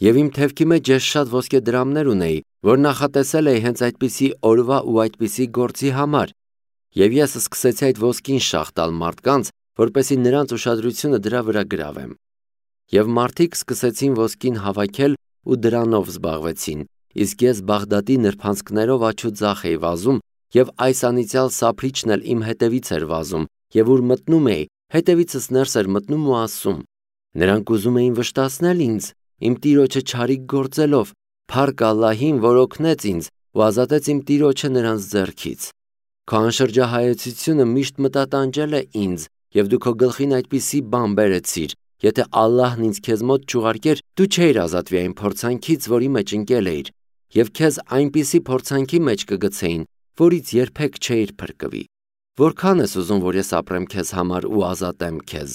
Եվ իմ թևքի մեջ ես շատ ոսկե դրամներ ունեի, որ նախատեսել էի հենց այդպիսի օրվա ու այդպիսի գործի համար, եւ ես սկսեցի այդ ոսկին շաղ տալ մարդկանց, որպեսզի նրանց ուշադրությունը դրա վրա գրավեմ։ Եվ մարդիկ սկսեցին ոսկին հավաքել ու դրանով զբաղվեցին, իսկ ես Բաղդադի նրբանցքներով աջուձախ էի վազում, եւ այս անիծյալ սափրիչն էլ իմ հետևից էր վազում, եւ ուր մտնում էի, հետևիցս ներս էր մտնում ու ասում. նրանք ուզում էին վշտացնել ինձ, իմ տիրոջը չարիք գործելով, փառք Ալլահին, որ օգնեց ինձ ու ազատեց իմ տիրոջը նրանց ձեռքից։ Քո անշրջահայեցությունը միշտ մտատանջել է ինձ, եւ դու քո գլխին այդպիսի բան բերեցիր, եթե Ալլահն ինձ քեզ մոտ չուղարկեր, դու չէիր ազատվի այն փորձանքից, որի մեջ ընկել էիր, եւ քեզ այնպիսի փորձանքի մեջ կգցեին, որից երբեք չէիր փրկվի։ Որքան ես ուզում, որ ես ապրեմ քեզ համար ու ազատեմ քեզ։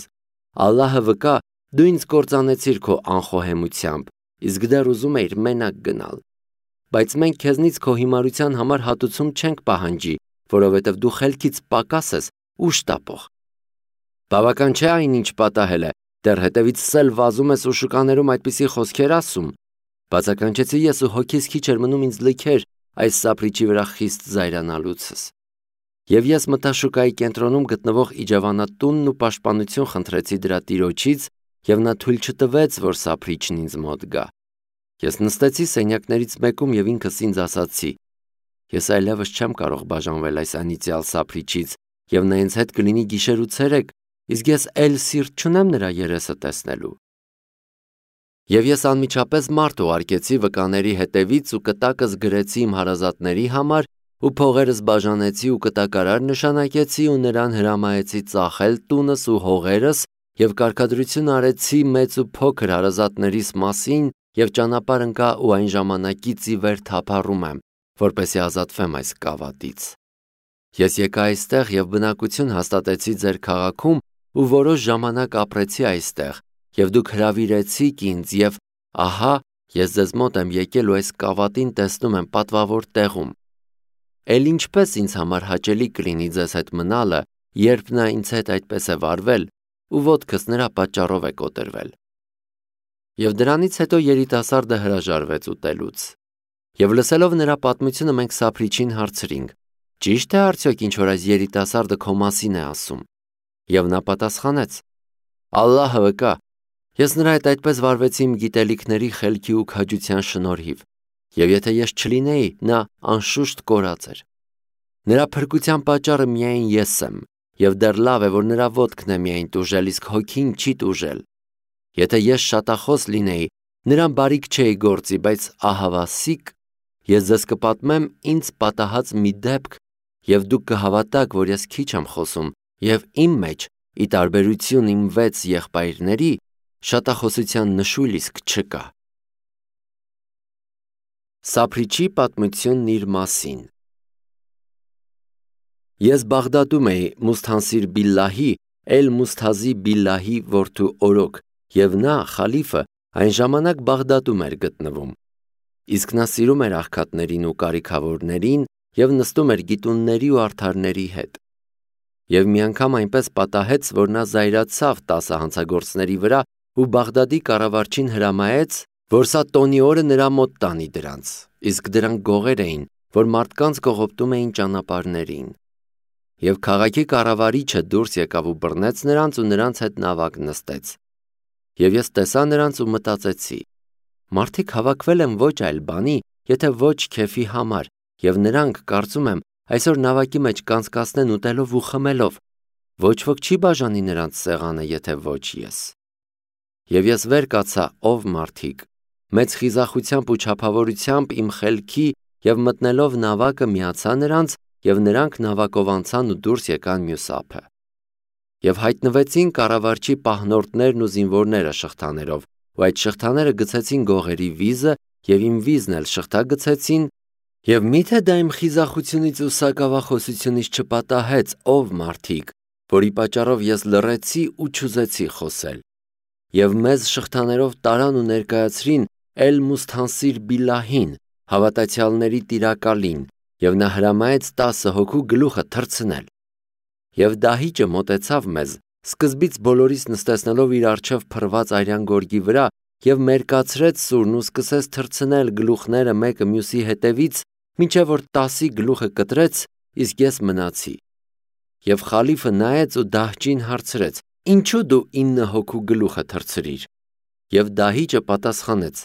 Ալլահը վկա, դու ինձ կործանեցիր քո անխոհեմությամբ, իսկ դեռ ուզում էիր մենակ գնալ։ Բայց մենք քեզնից քո հիմարության համար հատուցում չենք պահանջի, որովհետև դու խելքից պակաս ես ու շտապող։ Բավական չէ այնինչ պատահել է, դեռ հետևից սել վազում ես ու շուկաներում այդպիսի խոսքեր ասում։ Բացականչեցի ես ու հոգիս քիչ էր մնում ինձ լքեր այս սափրիչի վրա խիստ զայրանալուցս։ Եվ ես մտա շուկայի կենտրոնում գտնվող իջավանատունն ու պաշտպանություն խնդրեցի դրա տիրոջից, եւ նա թույլ չտվեց, որ սափրիչն ինձ մոտ գա։ Ես նստեցի սենյակներից մեկում եւ ինքս ինձ ասացի. ես այլևս չեմ կարող բաժանվել այս անիծյալ սափրիչից, եւ նա ինձ հետ կլինի գիշեր ու ցերեկ, իսկ ես էլ սիրտ չունեմ նրա երեսը տեսնելու։ Եվ ես անմիջապես մարդ ուղարկեցի վկաների հետևից ու կտակս գրեցի իմ հարազատների համար ու փողերս բաժանեցի ու կտակարար նշանակեցի ու նրան հրամայեցի ծախել տունս ու հողերս եւ կարգադրություն արեցի մեծ ու փոքր հարազատներիս մասին եւ ճանապարհ ընկա ու այն ժամանակից ի վեր թափառում եմ, որպեսզի ազատվեմ այս կավատից։ Ես եկա այստեղ եւ բնակություն հաստատեցի ձեր քաղաքում ու որոշ ժամանակ ապրեցի այստեղ եւ դուք հրավիրեցիք ինձ եւ ահա ես ձեզ մոտ եմ եկել ու այս կավատին տեսնում եմ պատվավոր տեղում։ Էլ ինչպես ինձ համար հաճելի կլինի ձեզ հետ մնալը, երբ նա ինձ հետ այդպես է վարվել ու ոտքս նրա պատճառով է կոտրվել։ Եվ դրանից հետո երիտասարդը հրաժարվեց ուտելուց։ Եվ լսելով նրա պատմությունը մենք սափրիչին հարցրինք. ճիշտ է արդյոք ինչ որ այս երիտասարդը քո մասին է ասում։ Եվ նա պատասխանեց. Ալլահը վկա, ես նրա հետ այդպես վարվեցի իմ գիտելիքների խելքի ու քաջության շնորհիվ, եւ եթե ես չլինեի, նա անշուշտ կորած էր։ Նրա փրկության պատճառը միայն ես եմ, եւ դեռ լավ է, որ նրա ոտքն է միայն տուժել, իսկ հոգին չի տուժել։ Եթե ես շատախոս լինեի, նրան բարիք չէի գործի, բայց ահավասիկ, ես ձեզ կպատմեմ ինձ պատահած մի դեպք, եւ դուք կհավատաք, որ ես քիչ եմ խոսում, եւ իմ մեջ, ի տարբերություն իմ 6 եղբայրների, շատախոսության նշույլ իսկ չկա։ Սափրիչի պատմությունն իր մասին։ Ես Բաղդադում էի Մուսթանսիր Բիլլահի, Էլ Մուսթազի Բիլլահի որդու օրոք, եւ նա, խալիֆը, այն ժամանակ Բաղդադում էր գտնվում։ Իսկ նա սիրում էր աղքատներին ու կարիքավորներին եւ նստում էր գիտունների ու արդարների հետ։ Եվ մի անգամ այնպես պատահեց, որ նա զայրացավ 10 հանցագործների վրա ու Բաղդադի կառավարչին հրամայեց, որ սա տոնի օրը նրա մոտ տանի դրանց, իսկ դրանք գողեր էին, որ մարդկանց կողոպտում էին ճանապարհներին։ Եվ քաղաքի կառավարիչը դուրս եկավ ու բռնեց նրանց ու նրանց հետ նավակ նստեց։ Եվ ես տեսա նրանց ու մտածեցի. մարդիկ հավաքվել են ոչ այլ բանի, եթե ոչ քեֆի համար, եւ նրանք, կարծում եմ, այսօր նավակի մեջ կանցկացնեն ուտելով ու խմելով։ Ոչ ոք չի բաժանի նրանց սեղանը, եթե ոչ ես։ Եվ ես վեր կացա, ով մարդիկ, մեծ խիզախությամբ ու չափավորությամբ իմ խելքի եւ մտնելով նավակը միացա նրանց, եւ նրանք նավակով անցան ու դուրս եկան մյուս ափը։ Եվ հայտնվեցին կառավարչի պահնորդներն ու զինվորները շղթաներով, ու այդ շղթաները գցեցին գողերի վիզը եւ իմ վիզն էլ շղթա գցեցին, եւ միթե դա իմ խիզախությունից ու սակավախոսությունից չպատահեց, ով մարդիկ, որի պատճառով ես լռեցի ու չուզեցի խոսել։ Եվ մեզ շղթաներով տարան ու ներկայացրին Էլ Մուսթանսիր Բիլլահին, հավատացյալների տիրակալին, եւ նա հրամայեց 10 հոգու գլուխը թռցնել։ Եվ դահիճը մոտեցավ մեզ, սկզբից բոլորիս նստեցնելով իր առջև փռված արյան գորգի վրա և մերկացրեց սուրն ու սկսեց թռցնել գլուխները մեկը մյուսի հետևից, մինչև որ 10-ի գլուխը կտրեց, իսկ ես մնացի։ Եվ խալիֆը նայեց ու դահճին հարցրեց. «Ինչու դու 9 հոգու գլուխը թռցրիր»։ Եվ դահիճը պատասխանեց.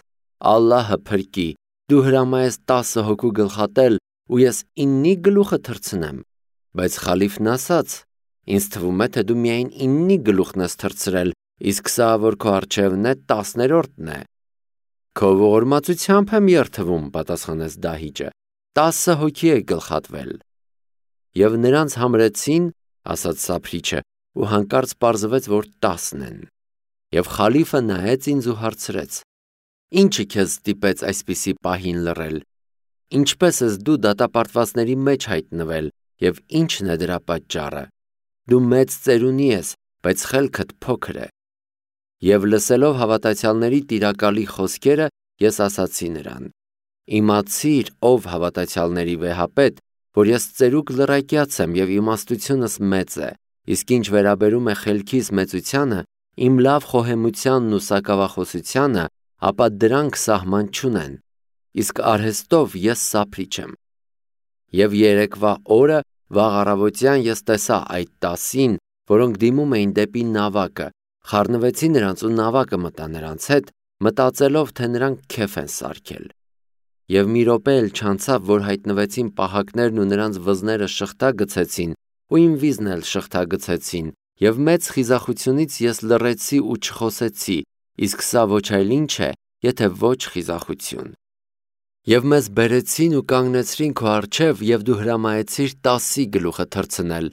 «Ալլահը փրկի, դու հրամայես 10 հոգու գլխատել ու ես 9-ի գլուխը թռցնեմ»։ Բայց խալիֆն ասաց. «Ինձ թվում է, թե դու միայն 9-ի գլուխն ես թռցրել, իսկ սա, որ քո առջևն է, 10-րդն է»։ «Քո ողորմածությամբ եմ երդվում», պատասխանեց դահիճը, 10 հոգի է գլխատվել։ Եվ նրանց համրեցին, ասաց սափրիչը, ու հանկարծ պարզվեց, որ 10 են։ Եվ խալիֆը նայեց ինձ ու հարցրեց. «Ինչը քեզ ստիպեց այսպիսի պահին լռել։ Ինչպես ես դու դատապարտվածների մեջ հայտնվել, և ի՞նչն է դրա պատճառը։ Դու մեծ ծերունի ես, բայց խելքդ փոքր է»։ Եվ լսելով հավատացյալների տիրակալի խոսքերը, ես ասացի նրան. «Իմացիր, ով հավատացյալների վեհապետ, որ ես ծերուկ լռակյաց եմ և իմաստությունս մեծ է, իսկ ինչ վերաբերում է խելքիս մեծությանը, իմ լավ խոհեմությանն ու սակավախոսությանը, ապա դրանք սահման չունեն, իսկ արհեստով ես սափրիչ եմ»։ Եվ երեկվա օրը վաղ առավոտյան ես տեսա այդ 10-ին, որոնք դիմում էին դեպի նավակը, խառնվեցի նրանց ու նավակը մտա նրանց հետ, մտածելով, թե նրանք քեֆ են սարքել։ Եվ մի րոպե էլ չանցավ, որ հայտնվեցին պահակներն ու նրանց վզները շղթա գցեցին, ու իմ վիզն էլ շղթա գցեցին, և մեծ խիզախությունից ես լռեցի ու չխոսեցի, իսկ սա ոչ այլ ինչ է, եթե ոչ խիզախություն։ Եվ մեզ բերեցին ու կանգնեցրին քո առջև, և դու հրամայեցիր 10-ի գլուխը թռցնել,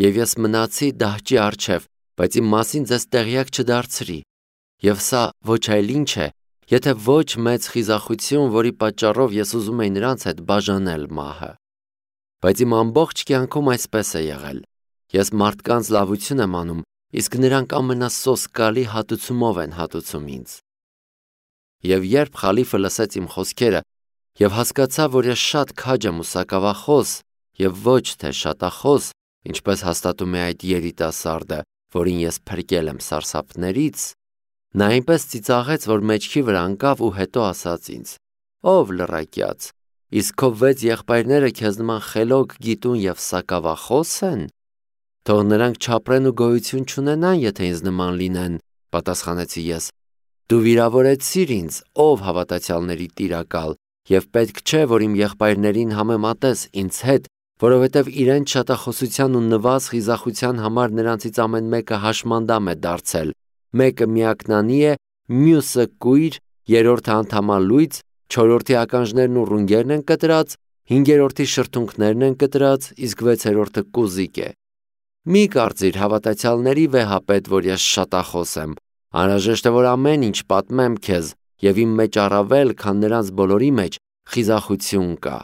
և ես մնացի դահճի առջև, բայց իմ մասին ձեզ տեղյակ չդարձրի։ Եվ սա ոչ այլ ինչ է, եթե ոչ մեծ խիզախություն, որի պատճառով ես ուզում էի նրանց հետ բաժանել մահը։ Բայց իմ ամբողջ կյանքում այսպես է եղել. ես մարդկանց լավություն եմ անում, իսկ նրանք ամենասոսկալի հատուցումով են հատուցում ինձ։ Եվ երբ խալիֆը լսեց իմ խոսքերը և հասկացավ, որ ես շատ քաջ եմ ու սակավախոս և ոչ թե շատախոս, ինչպես հաստատում է այդ երիտասարդը, որին ես փրկել եմ սարսափներից, նա այնպես ծիծաղեց, որ մեջքի վրա ընկավ ու հետո ասաց ինձ. «Ով լռակյաց, իսկ քո 6 եղբայրները քեզ նման խելոք, գիտուն և սակավախո՞ս են։ Թող նրանք չապրեն ու գոյություն չունենան, եթե ինձ նման լինեն», պատասխանեցի ես։ «Դու վիրավորեցիր ինձ, ով հավատացյալների տիրակալ, և պետք չէ, որ իմ եղբայրներին համեմատես ինձ հետ, որովհետև իրենց շատախոսության ու նվազ խիզախության համար նրանցից ամեն մեկը հաշմանդամ է դարձել, մեկը միակնանի է, մյուսը կույր, երրորդը անդամալույծ, չորրորդի ականջներն ու ռունգերն են կտրած, հինգերորդի շրթունքներն են կտրած, իսկ 6-րդը կուզիկ է։ Մի կարծիր հավատացյալների վեհապետ, որ ես շատախոս եմ, անհրաժեշտ է, որ ամեն ինչ պատմեմ քեզ, և իմ մեջ առավել, քան նրանց բոլորի մեջ, խիզախություն կա։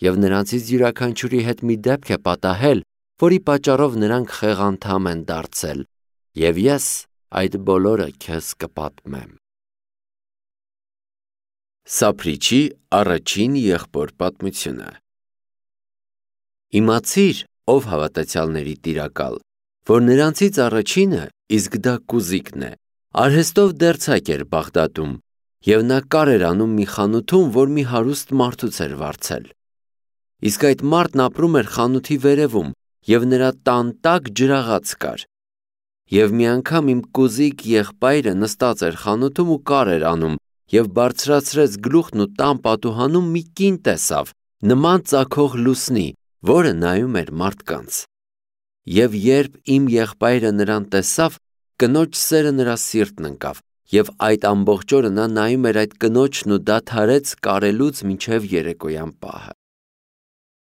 Եվ նրանցից յուրաքանչյուրի հետ մի դեպք է պատահել, որի պատճառով նրանք խեղանդամ են դարձել, և ես այդ բոլորը քեզ կպատմեմ»։ Սափրիչի առաջին եղբոր պատմությունը։ Իմացիր, ով հավատացյալների տիրակալ, որ նրանցից առաջինը, իսկ դա կուզիկն է, արհեստով դերձակ էր Բաղդադում, և նա կար էր անում մի խանութում, որ մի հարուստ մարդուց էր վարձել։ Իսկ այդ մարդն ապրում էր խանութի վերևում, և նրա տան տակ ջրաղաց կար։ Եվ մի անգամ իմ կուզիկ եղբայրը նստած էր խանութում ու կար էր անում, և բարձրացրեց գլուխն ու տան պատուհանում մի կին տեսավ, նման ծագող լուսնի, որը նայում էր մարդկանց։ Եվ երբ իմ եղբայրը նրան տեսավ, կնոջ սերը նրա սիրտն ընկավ, և այդ ամբողջ օրը նա նայում էր այդ կնոջն ու դադարեց կարելուց մինչև երեկոյան պահը։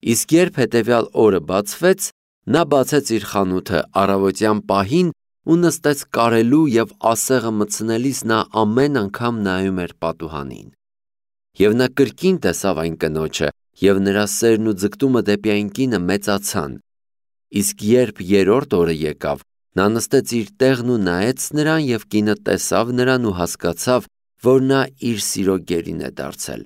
Իսկ երբ հետևյալ օրը բացվեց, նա բացեց իր խանութը առավոտյան պահին ու նստեց կարելու, և ասեղը մտցնելիս նա ամեն անգամ նայում էր պատուհանին։ Եվ նա կրկին տեսավ այն կնոջը, և նրա սերն ու ձգտումը դեպի այն կինը մեծացան։ Իսկ երբ երրորդ օրը եկավ, նա նստեց իր տեղն ու նայեց նրան, և կինը տեսավ նրան ու հասկացավ, որ նա իր սիրո գերին է դարձել։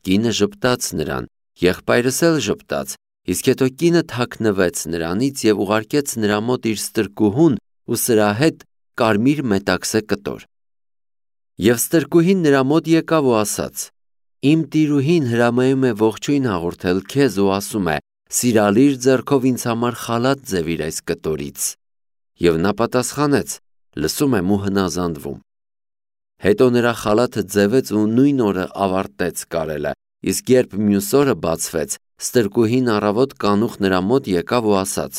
Կինը ժպտաց նրան, եղբայրս էլ ժպտաց, իսկ հետո կինը թաքնվեց նրանից և ուղարկեց նրա մոտ իր ստրկուհուն ու սրա հետ կարմիր մետաքսե կտոր։ Եվ ստրկուհին նրա մոտ եկավ ու ասաց. Իմ տիրուհին հրամայում է ողջույն հաղորդել քեզ ու ասում է. սիրալիր ձեռքով ինձ համար խալաթ ձևիր այս կտորից։ Եվ նա պատասխանեց. լսում եմ ու հնազանդվում։ Հետո նրա խալաթը ձևեց ու նույն օրը ավարտեց կարելը, իսկ երբ մյուս օրը բացվեց, ստրկուհին առավոտ կանուխ նրա մոտ եկավ ու ասաց.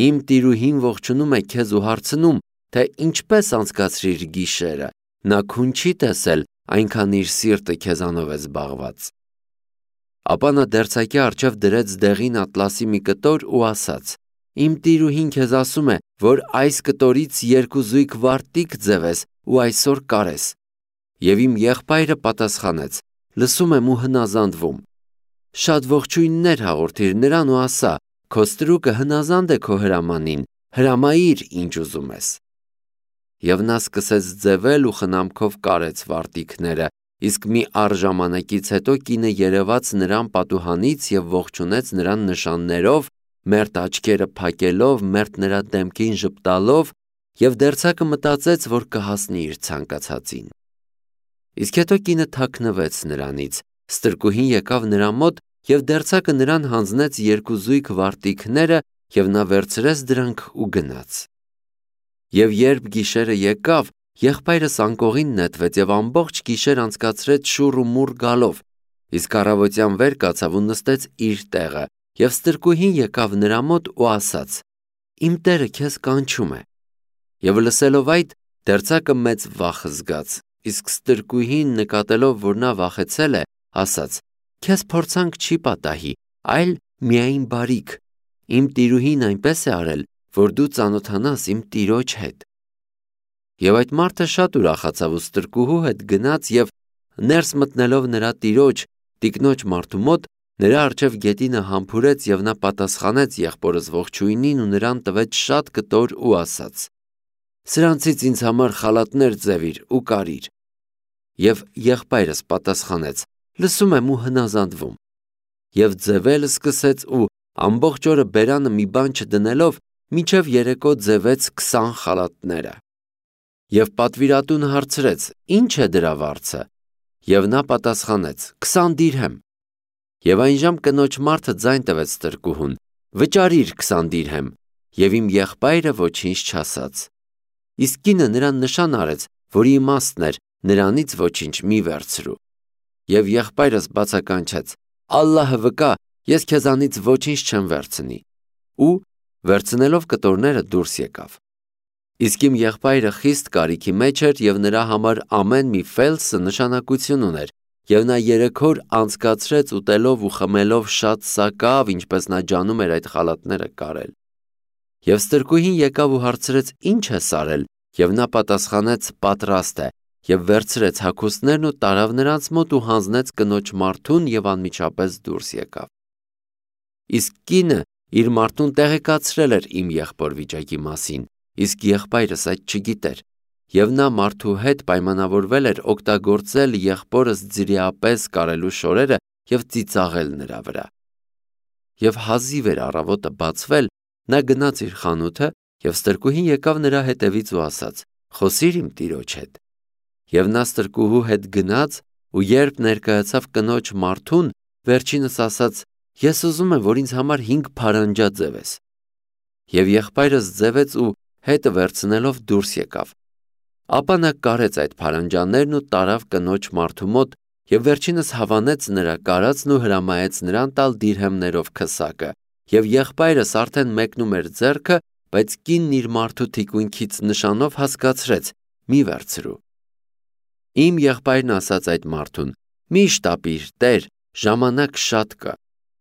իմ տիրուհին ողջունում է քեզ ու հարցնում, թե ինչպես անցկացրիր գիշերը, նա քուն չի տեսել, այնքան իր սիրտը քեզանով է զբաղված։ Ապա նա դերձակի առջև դրեց դեղին ատլասի մի կտոր ու ասաց. իմ տիրուհին քեզ ասում է, որ այս կտորից 2 զույգ վարտիք ձևես ու այսօր կարես։ Եվ իմ եղբայրը պատասխանեց. լսում եմ ու հնազանդվում։ Շատ ողջույններ հաղորդիր նրան ու ասա. քո ստրուկը հնազանդ է քո հրամանին, հրամայիր ինչ ուզում ես։ Եվ նա սկսեց ձևել ու խնամքով կարեց վարտիքները, իսկ մի առ ժամանակից հետո կինը երևաց նրան պատուհանից և ողջունեց նրան նշաններով, մերթ աչքերը փակելով, մերթ նրա դեմքին ժպտալով, և դերձակը մտածեց, որ կհասնի իր ցանկացածին։ Իսկ հետո կինը թաքնվեց նրանից, ստրկուհին եկավ նրա մոտ և դերձակը նրան հանձնեց 2 զույգ վարտիքները և նա վերցրեց դրանք ու գնաց։ Եվ երբ գիշերը եկավ, եղբայրս անկողին նետվեց և ամբողջ գիշեր անցկացրեց շուռ ու մուռ գալով, իսկ առավոտյան վեր կացավ ու նստեց իր տեղը, և ստրկուհին եկավ նրա մոտ ու ասաց. իմ տերը քեզ կանչում է։ Եվ լսելով այդ, դերձակը մեծ վախ զգաց, իսկ ստրկուհին նկատելով, որ նա վախեցել է, ասաց. քեզ փորձանք չի պատահի, այլ միայն բարիք։ Իմ տիրուհին այնպես է արել, որ դու ծանոթանաս իմ տիրոջ հետ։ Եվ այդ մարդը շատ ուրախացավ ու ստրկուհու հետ գնաց և ներս մտնելով նրա տիրոջ, տիկնոջ մարդու մոտ, նրա առջև գետինը համբուրեց և նա պատասխանեց եղբորս ողջույնին ու նրան տվեց շատ կտոր ու ասաց. սրանցից ինձ համար խալաթներ ձևիր ու կարիր։ Եվ եղբայրս պատասխանեց. լսում եմ ու հնազանդվում։ Եվ ձևել սկսեց ու ամբողջ օրը բերանը մի բան չդնելով, մինչև երեկո ձևեց 20 խալաթները։ Եվ պատվիրատունը հարցրեց. ինչ է դրա վարձը։ Եվ նա պատասխանեց. 20 դիրհեմ։ Եվ այնժամ կնոջ մարդը ձայն տվեց ստրկուհուն. վճարիր 20 դիրհեմ։ Եվ իմ եղբայրը ոչինչ չասաց։ Իսկ կինը նրան նշան արեց, որի իմաստն էր, նրանից ոչինչ մի վերցրու։ Եվ եղբայրս բացականչեց. Ալլահը վկա, ես քեզանից ոչինչ չեմ վերցնի։ Ու վերցնելով կտորները դուրս եկավ։ Իսկ իմ եղբայրը խիստ կարիքի մեջ էր և նրա համար ամեն մի ֆելսը նշանակություն ուներ, և նա 3 օր անցկացրեց ուտելով ու խմելով շատ սակավ, ինչպես նա ջանում էր այդ խալաթները կարել։ Եվ ստրկուհին եկավ ու հարցրեց. ինչ ես արել, և նա պատասխանեց. պատրաստ է, և վերցրեց հագուստներն ու տարավ նրանց մոտ ու հանձնեց կնոջ մարդուն և անմիջապես դուրս եկավ։ Իսկ կինը իր մարդուն տեղեկացրել էր իմ եղբոր վիճակի մասին, իսկ եղբայրս այդ չգիտեր, և նա մարդու հետ պայմանավորվել էր օգտագործել եղբորս ձրիապես կարելու շորերը և ծիծաղել նրա վրա։ Եվ հազիվ էր առավոտը բացվել, նա գնաց իր խանութը, և ստրկուհին եկավ նրա հետևից ու ասաց. խոսիր իմ տիրոջ հետ։ Եվ նա ստրկուհու հետ գնաց ու երբ ներկայացավ կնոջ մարդուն, վերջինս ասաց. ես ուզում եմ, որ ինձ համար 5 փարանջա ձևես։ Եվ եղբայրս ձևեց ու հետը վերցնելով դուրս եկավ։ Ապա նա կարեց այդ փարանջաներն ու տարավ կնոջ մարդու մոտ և վերջինս հավանեց նրա կարածն ու հրամայեց նրան տալ դիրհեմներով քսակը, և եղբայրս արդեն մեկնում էր ձեռքը, բայց կինն իր մարդու թիկունքից նշանով հասկացրեց. մի վերցրու։ Իմ եղբայրն ասաց այդ մարդուն. մի շտապիր, տեր, ժամանակ շատ կա,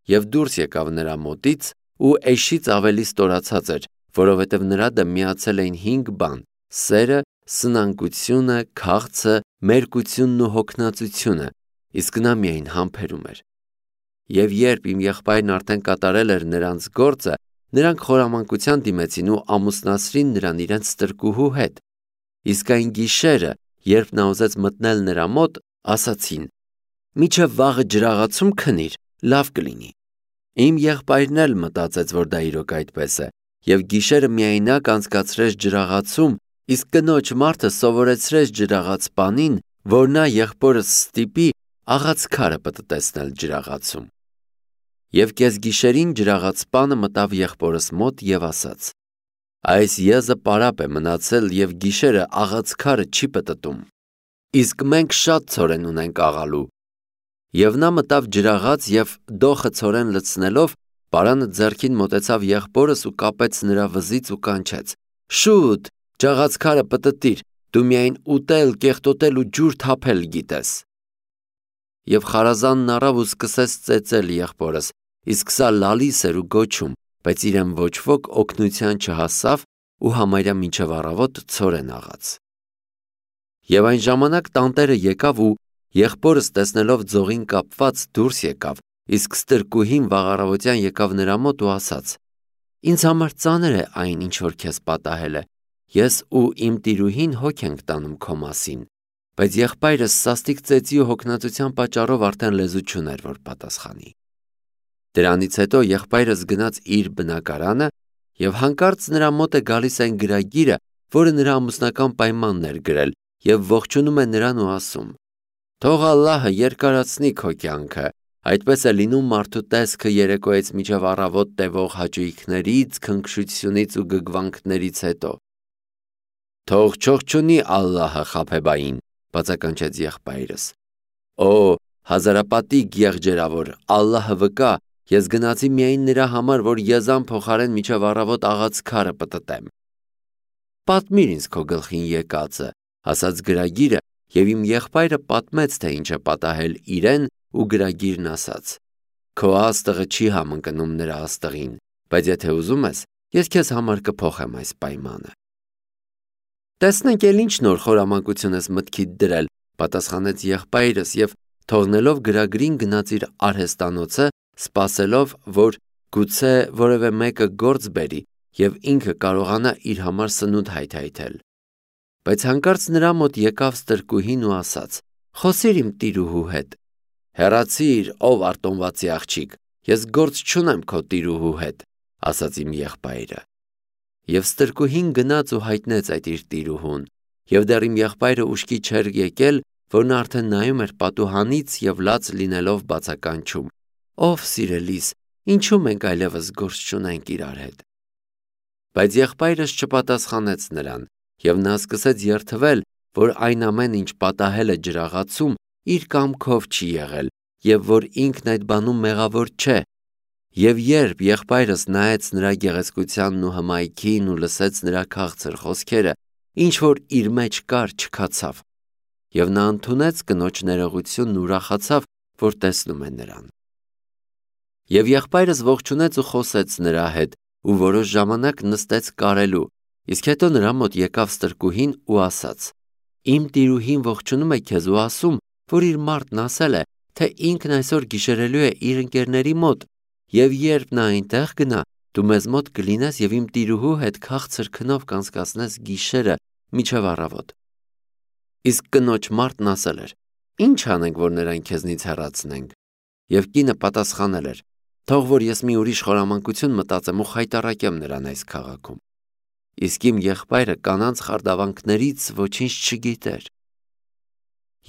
և դուրս եկավ նրա մոտից ու էշից ավելի ստորացած էր, որովհետև նրա դեմ միացել էին 5 բան. սերը, սնանկությունը, քաղցը, մերկությունն ու հոգնածությունը, իսկ նա միայն համբերում էր։ Եվ երբ իմ եղբայրն արդեն կատարել էր նրանց գործը, նրանք խորամանկության դիմեցին ու ամուսնացրին նրան իրենց ստրկուհու հետ։ Իսկ այն գիշերը, երբ նա ուզեց մտնել նրա մոտ, ասացին. մինչև վաղը ջրաղացում քնիր, լավ կլինի։ Իմ եղբայրն էլ մտածեց, որ դա իրոք այդպես է, և գիշերը միայնակ անցկացրեց ջրաղացում, իսկ կնոջ մարդը սովորեցրեց ջրաղաց պանին, որ նա եղբորս ստիպի աղաց քարը պտտեցնել ջրաղացում։ Եվ կեսգիշերին ջրաղացպանը մտավ եղբորս մոտ և ասաց. այս եզը պարապ է մնացել և գիշերը աղաց քարը չի պտտում, իսկ մենք շատ ցորեն ունենք աղալու։ Եվ նա մտավ ջրաղաց և դոխը ցորեն լցնելով, պարանը ձեռքին մոտեցավ եղբորս ու կապեց նրա վզից ու կանչեց. շուտ, ջաղաց քարը պտտիր, դու միայն ուտել, կեղտոտել ու ջուր թափել գիտես։ Եվ խարազանն առավ ու սկսեց ծեծել եղբորս, իսկ սա լալիս էր ու գոչում, բայց իրեն ոչ ոք օգնության չհասավ ու համարյա մինչև առավոտ ցորեն աղաց։ Եվ այն ժամանակ տանտերը եկավ ու եղբորս տեսնելով ձողին կապված դուրս եկավ, իսկ ստրկուհին վաղառավոտյան եկավ նրա մոտ ու ասաց. ինձ համար ծանր է այն, ինչ որ քեզ պատահել է, ես ու իմ տիրուհին հոգ ենք տանում քո մասին, բայց եղբայրս սաստիկ ծեծի ու հոգնածության պատճառով արդեն լեզու չուներ, որ պատասխանի։ Դրանից հետո եղբայրս գնաց իր բնակարանը և հանկարծ նրա մոտ է գալիս այն գրագիրը, որը նրա ամուսնական պայմանն էր գրել, և ողջունում է նրան ու ասում. թող Ալլահը երկարացնի քո կյանքը, այդպես է լինում մարդու տեսքը երեկոյից մինչև առավոտ տևող հաճույքներից, քնքշությունից ու գգվանքներից հետո։ Թող չողջունի Ալլահը Խաբեբային, բացականչեց եղբայրս։ Օ, հազարապատիկ եղջերավոր, Ալլահը վկա, ես գնացի միայն նրա համար, որ եզան փոխարեն մինչև առավոտ աղաց քարը պտտեմ։ Պատմիր ինձ քո գլխին եկածը, ասաց գրագիրը, և իմ եղբայրը պատմեց, թե ինչ է պատահել իրեն, ու գրագիրն ասաց. քո աստղը չի համընկնում նրա աստղին, բայց եթե ուզում ես, ես քեզ համար կփոխեմ այս պայմանը։ Տեսնենք էլ ինչ նոր խորամանկություն ես մտքիդ դրել, պատասխանեց եղբայրս և թողնելով գրագրին գնաց իր արհեստանոցը, սպասելով, որ գուցե որևէ մեկը գործ բերի և ինքը կարողանա իր համար սնունդ հայթայթել։ Բայց հանկարծ նրա մոտ եկավ ստրկուհին ու ասաց. խոսիր իմ տիրուհու հետ։ Հեռացիր, ով արտոնվածի աղջիկ, ես գործ չունեմ քո տիրուհու հետ, ասաց իմ եղբայրը։ Եվ ստրկուհին գնաց ու հայտնեց այդ իր տիրուհուն, և դեռ իմ եղբայրը ուշքի չէր եկել, որ նա արդեն նայում էր պատուհանից և լաց լինելով բացականչում. ով սիրելիս, ինչու մենք այլևս գործ չունենք իրար հետ։ Բայց եղբայրս չպատասխանեց նրան, և նա սկսեց երդվել, որ այն ամեն ինչ պատահել է ջրաղացում, իր կամքով չի եղել, և որ ինքն այդ բանում մեղավոր չէ։ Եվ երբ եղբայրս նայեց նրա գեղեցկությանն ու հմայքին ու լսեց նրա քաղցր խոսքերը, ինչ որ իր մեջ կար, չքացավ։ Եվ նա ընդունեց կնոջ ներողությունն ու ուրախացավ, որ տեսնում է նրան։ Եվ եղբայրս ողջունեց ու խոսեց նրա հետ ու որոշ ժամանակ նստեց կարելու, իսկ հետո նրա մոտ եկավ ստրկուհին ու ասաց. իմ տիրուհին ողջունում է քեզ ու ասում, որ իր մարդն ասել է, թե ինքն այսօր գիշերելու է իր ընկերների մոտ, և երբ նա այնտեղ գնա, դու մեզ մոտ կլինես և իմ տիրուհու հետ քաղցր քնով կանցկացնես գիշերը մինչև առավոտ։ Իսկ կնոջ մարդն ասել էր. ինչ անենք, որ նրան քեզնից հեռացնենք։ Եվ կինը պատասխանել էր. թող որ ես մի ուրիշ խորամանկություն մտածեմ ու խայտառակեմ նրան այս քաղաքում։ Իսկ իմ եղբայրը կանանց խարդավանքներից ոչինչ չգիտեր։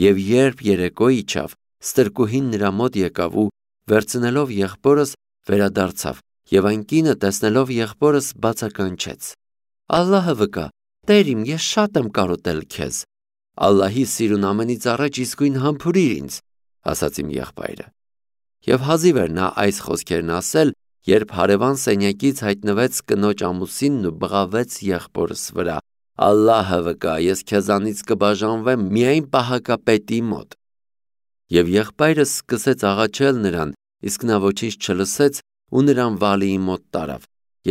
Եվ երբ երեկո իջավ, ստրկուհին նրա մոտ եկավ ու վերցնելով եղբորս վերադարձավ, և այն կինը տեսնելով եղբորս բացականչեց. Ալլահը վկա, Տեր իմ, ես շատ եմ կարոտել քեզ։ Ալլահի սիրուն ամենից առաջ իսկույն համբուրիր ինձ, ասաց իմ եղբայրը։ Եվ հազիվ էր նա այս խոսքերն ասել, երբ հարևան սենյակից հայտնվեց կնոջ ամուսինն ու բղավեց եղբորս վրա. Ալլահը վկա, ես քեզանից կբաժանվեմ միայն պահակապետի մոտ։ Եվ եղբայրս սկսեց աղաչել նրան, իսկ նա ոչինչ չլսեց ու նրան Վալիի մոտ տարավ,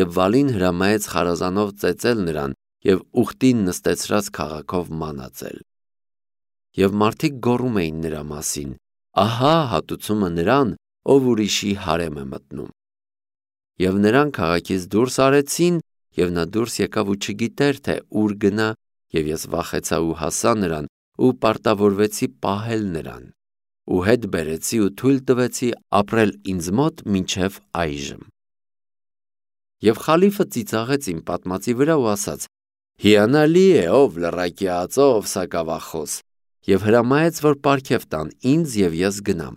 և Վալին հրամայեց խարազանով ծեծել նրան և ուխտին նստեցրած քաղաքով մանածել։ Եվ մարդիկ գոռում էին նրա մասին. ահա հատուցումը նրան, ով ուրիշի հարեմ է մտնում։ Եվ նրան քաղաքից դուրս արեցին, և նա դուրս եկավ ու չգիտեր, թե ուր գնա, և ես վախեցա ու հասա նրան ու պարտավորվեցի պահել նրան, ու հետ բերեցի ու թույլ տվեցի ապրել ինձ մոտ մինչև այժմ։ Եվ խալիֆը ծիծաղեց իմ պատմածի վրա ու ասաց. հիանալի է, ով լռակի ածո, ով սակավախոս, եւ հրամայեց, որ պարգև տան ինձ եւ ես գնամ։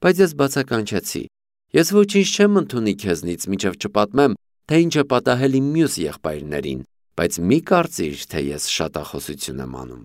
Բայց ես բացականչեցի. ես ոչինչ չեմ ընդունի քեզնից, մինչև չպատմեմ, թե ինչ է պատահել իմ մյուս եղբայրներին, բայց մի կարծիր, թե ես շատախոսություն եմ անում։